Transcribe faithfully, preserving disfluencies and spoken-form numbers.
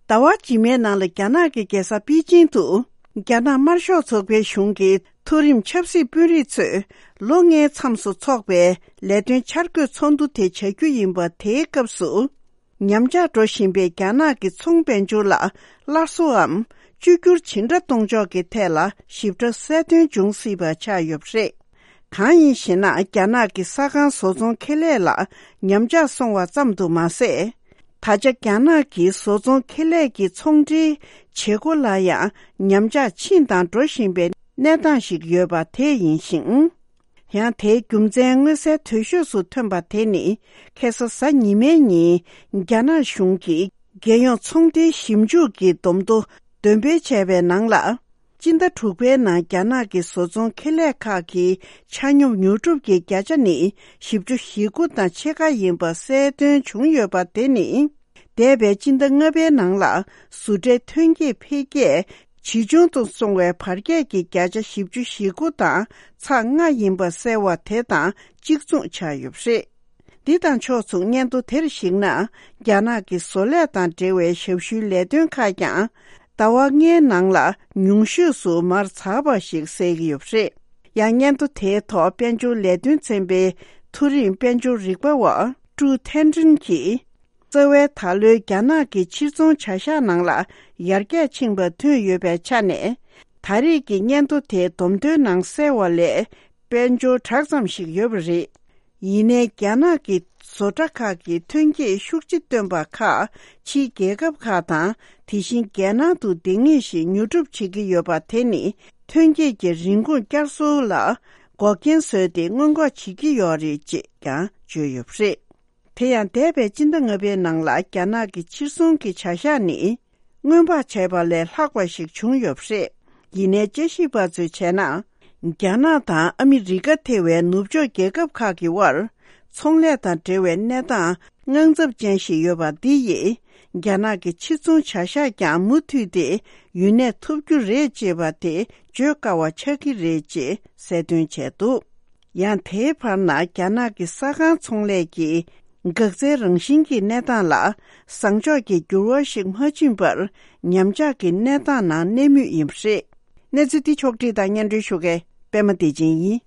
ཟླ་བ་རྗེས་མའི་ནང་ལ་རྒྱ་ནག་གི་རྒྱལ་ས་པེ་ཅིང་དུ། རྒྱ་ནག་དམར་ཤོག་ཚོགས་པའི་གཞུང་གི་མཐོ་རིམ་ཆབ་སྲིད་དཔོན་རིགས་ཚོས་ལོ་ལྔའི་མཚམས་སུ་འཚོགས་པའི་ལས་དོན་འཆར་འགོད་ཚོགས་འདུ་དེ་བྱ་རྒྱུ་ཡིན་པ་དེའི་སྐབས་སུ། ཉམས་ཆག་འགྲོ་བཞིན་པའི་རྒྱ་ནག་གི་ཚོང་དཔལ་འབྱོར་ལ་སླར་གསོའམ་བཅོས་བསྒྱུར་ཇི་འདྲ་གཏོང་ཕྱོགས་ཀྱི་ཐད་ལ་ཞིབ་ཕྲ་གསལ་སྟོན་འབྱུང་སྲིད་པ་ཆགས་ཡོད་པ་རེད། གང་ཡིན་ཞེ་ན། རྒྱ་ནག་གི་ས་ཁང་བཟོ་ཚོང་ཁེ་ལས་ལ་ཉམས་ཆག་སོང་བ་ཙམ་དུ་མ་ཟད། ད་ཆ་རྒྱ་ནག་གི་བཟོ་ཚོང་ཁེ་ལས་ཀྱི་ཚོང་འབྲེལ་བྱེད་སྒོ་ལ་ཡང་ཉམས་ཆག་ཕྱིན་དང་འགྲོ་བཞིན་པའི་གནས་སྟངས་ཤིག་ཡོད་པ་དེ་ཡིན་ཞིང་། ཡང་དེའི་རྒྱུ་མཚན་མངོན་གསལ་དོད་ཤོས་སུ་ཐོན་པ་དེ་ནི། ཁ་སང་གཟའ་ཉི་མའི་ཉིན་རྒྱ་ནག་གཞུང་གིས་རྒྱལ་ཡོངས་ཚོང་འབྲེལ་ཞིབ་འཇུག་གི་བསྡོམས་ཐོ་འདོན་སྤེལ་བྱས་པའི་ནང་ལ། སྤྱི་ཟླ་དྲུག་པའི་ནང་རྒྱ་ནག་གི་བཟོ་ཚོང་ཁེ་ལས་ཁག་གི་ཆ་སྙོམས་ཉོ་སྒྲུབ་ཀྱི་བརྒྱ་ཆ་ནི་བཞི་བཅུ་ཞེ་དགུ་དང་ཕྱེད་ཀ་ཡིན་པ་གསལ་སྟོན་བྱུང་ཡོད་པ་དེ་ནི། འདས་པའི་སྤྱི་ཟླ་ལྔ་པའི་ནང་ལ་བཟོ་གྲྭའི་ཐོན་སྐྱེད་འཕེལ་རྒྱས་ཇེ་ཆུང་དུ་སོང་བའི་བར་ཁྱད་ཀྱི་བརྒྱ་ཆ་བཞི་བཅུ་ཞེ་དགུ་དང་ཚེག་ལྔ་ཡིན་པ་གསལ་བ་དེ་དང་གཅིག་མཚུངས་ཆགས་ཡོད་པ་རེད། འདི་དང་ཕྱོགས་མཚུངས་སྙན་ཐོ་དེར་གཞིགས་ན། རྒྱ་ནག་གི་བཟོ་ལས་དང་འབྲེལ་བའི་ཞབས་ཞུའི་ལས་དོན་ཁག་ཀྱང་ཟླ་བ་ལྔའི་ནང་ལ་ཉུང་ཤོས་སུ་མར་ཟགས་པ་ཞིག་གསལ་གྱི་ཡོད་པ་རེད། ཡང་སྙན་ཐོ་དེའི་ཐོག་དཔལ་འབྱོར་ལས་དོན་ཚན་པའི་མཐོ་རིམ་དཔལ་འབྱོར་རིག་པ་བ་ཀྲུའུ་ཐན་ཀྲིན་གྱིས། རྩ་བའི་ད་ལོའི་རྒྱ་ནག་གི་ཕྱིར་ཚོང་བྱ་གཞག་ནང་ལ་ཡར་རྒྱས་ཕྱིན་པ་ཐོན་ཡོད་པའི་ཆ་ནས། ད་རེས་ཀྱི་སྙན་ཐོ་དེའི་བསྡོམས་ཐོའི་ནང་གསལ་བ་ལས་དཔལ་འབྱོར་དྲག་ཙམ་ཞིག་ཡོད་པ་རེད། ཡིན་ནའི་རྒྱ་ནག་གི་བཟོ་གྲྭ་ཁག་གིས་ཐོན་སྐྱེད་ཤུགས་ཆེ་བཏོན་པ་ཁག་ཕྱིའི་རྒྱལ་ཁབ་ཁག་དང་། དེ་བཞིན་རྒྱལ་ནང་དུ་འདང་ངེས་ཤིག་ཉོ་སྒྲུབ་བྱེད་ཀྱི་ཡོད་པ་དེ་ནི་ཐོན་སྐྱེད་ཀྱི་རིན་གོང་བསྐྱར་གསོ་ལ་འགོག་རྐྱེན་བཟོས་ཏེ་སྔོན་འགོག་བྱེད་ཀྱི་ཡོད་རེད་ཅེས་ཀྱང་བརྗོད་ཡོད་པ་རེད། དེ་ཡང་འདས་པའི་སྤྱི་ཟླ་ལྔ་པའི་ནང་ལ་རྒྱ་ནག་གི་ཕྱིར་ཚོང་གི་བྱ་གཞག་ནི་སྔོན་དཔག་བྱས་པ་ལས་ལྷག་པ་ཞིག་བྱུང་ཡོད་པ་རེད། ཡིན་ནའི་དཔྱད་ཞིབ་པ་ཚོས་བྱས་ན། རྒྱ་ནག་དང་ཨ་མི་རི་ཀ་ཐེ་བའི་ནུབ་ཕྱོགས་རྒྱལ་ཁབ་ཁག་གི་དབར་ཚོང་ལས་དང་འབྲེལ་བའི་གནས་སྟངས་དངངས་འཚབ་ཅན་ཞིག་ཡོད་པ་འདི་ཡིས། རྒྱ་ནག་གི་ཕྱིར་ཚོང་བྱ་གཞག་ཀྱང་མུ་མཐུད་དེ་ཡུན་གནས་ཐུབ་རྒྱུ་རེད་ཅེས་པ་དེ་བརྗོད་དཀའ་བ་ཆགས་ཀྱི་རེད་ཅེས་གསལ་སྟོན་བྱས་འདུག་ཡང་དེའི་བར་ན་རྒྱ་ནག་གི་ས་ཁང་ཚོང་ལས་ཀྱི་འགག་རྩའི་རང་བཞིན་གྱི་གནས་སྟངས་ལ་བཟང་ཕྱོགས་ཀྱི་འགྱུར་བ་ཞིག་མ་ཕྱིན་པར་ཉམས་ཆག་གི་གནས་སྟངས་ནང་གནས་མུས་ཡིན་པ་རེད། གནས་ཚུལ་འདི་ཕྱོགས་བསྒྲིགས་དང་སྙན་སྒྲོན་ཞུ་མཁན་པད་མ་བདེ་ཆེན་ཡིན།